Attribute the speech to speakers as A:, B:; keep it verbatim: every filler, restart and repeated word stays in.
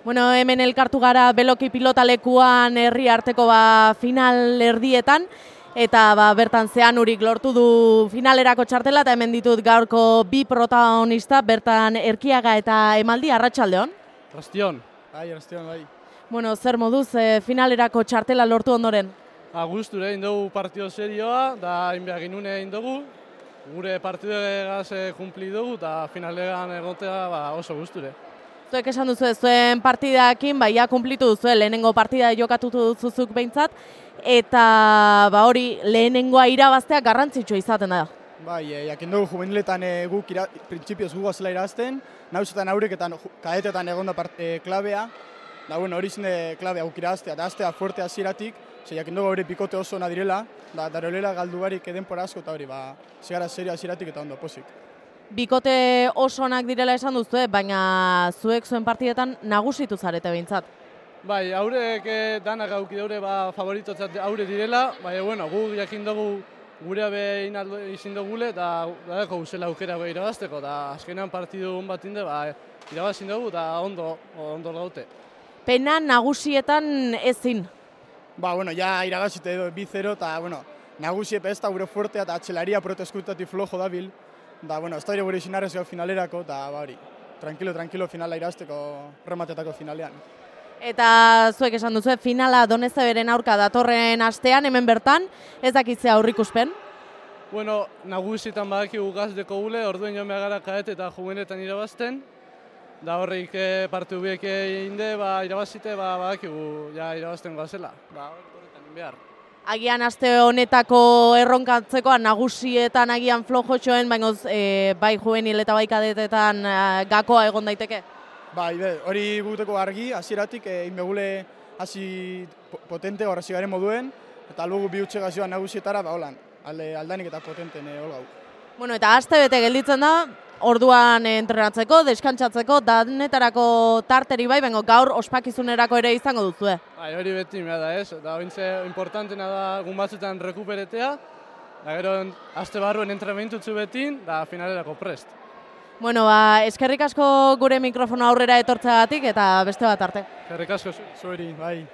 A: Bueno, hemen elkartu gara Beloki pilotalekuan herri arteko ba, final erdietan, eta ba, bertan Zeanurik lortu du finalerako txartela, eta hemen ditut gaurko bi protagonista, bertan Erkiaga eta Emaldi. Arratsaldeon.
B: Arratsaldeon. Bai, arratsaldeon, bai.
A: Bueno, zer moduz e, finalerako txartela lortu ondoren?
B: Ba, gustura egin dugu partido serioa, da inbea ginune egin dugu, gure partidegaz kumpli dugu, eta finalean egotea ba, oso gusture.
A: Zuek esan duzu zuen partidakin, baia kumplitu duzu, lehenengo partida jokatutu duzuzuk behintzat, eta ba, hori lehenengoa irabaztea garrantzitsua izaten da.
C: Bai, e, jakin dugu juveniletan e, guk ira, printzipioz gu gazela irazten, nauzetan aurreketan kadetetan egon da parte klabea, da bueno, hori zinde klabea guk iraztea, da aztea fuerte hasieratik, ze jakin dugu hori pikote oso ona direla, da darolela galdu barik edenpora asko eta hori, ba, zigara serio hasieratik eta ondo posik.
A: Bikote oso onak direla esan duzu, baina zuek zuen partidetan nagusitu zarete behintzat.
B: Bai, haurek danak auki daure ba, favoritotzat haure direla, bai, bueno, gu jakin dugu gure behin izin dugule, eta dago guzela aukera irabazteko, eta azkenean partidu hon bat inde, ba, irabazin dugu, eta ondo, ondo gaute.
A: Pena nagusietan ezin?
C: Ba, bueno, ja irabazite edo bi zero, eta, bueno, nagusiepe ez da gure fuertea, eta atxelaria proteskutatik flojo dabil, da, bueno, ez da gure izinarrez gau finalerako, eta, ba, hori, tranquilo, tranquilo finala irazteko rematetako finalean.
A: Eta zuek esan duzu, finala Donezeberen aurka datorren astean, hemen bertan, ez dakitzea aurrikuspen?
B: Bueno, nagusietan badakigu gazdeko gule, orduen joan behar kaet eta juvenetan irabazten, da horrik partiu biek inde, ba, irabazite, ba, badakigu ja irabazten goazela, ba, horretan behar.
A: Agian aste honetako erronkatzekoan nagusietan agian flojotxoen, baina e, bai juvenil eta bai kadetetan e, gakoa egon daiteke?
C: Bai, be, hori guteko argi, hasieratik egin begule hasi potente horrezi garen moduen, eta lugu bi utxe gazioan nagusietara, ba, holan, alde aldanik eta potenten e, holgau.
A: Bueno, eta aste bete gelditzen da, orduan entrenatzeko, deskantsatzeko, danetarako tarteri bai, baina gaur ospakizunerako ere izango duzue.
B: Bai, hori beti mea da ez, eta hori importantena da gun batzutan rekuperetea, da gero aste barruen entrenamentu betin, da finalerako prest.
A: Bueno, ba, eskerrik asko gure mikrofono aurrera etortzeagatik eta beste bat arte.
B: Eskerrik asko
C: zueri, bai.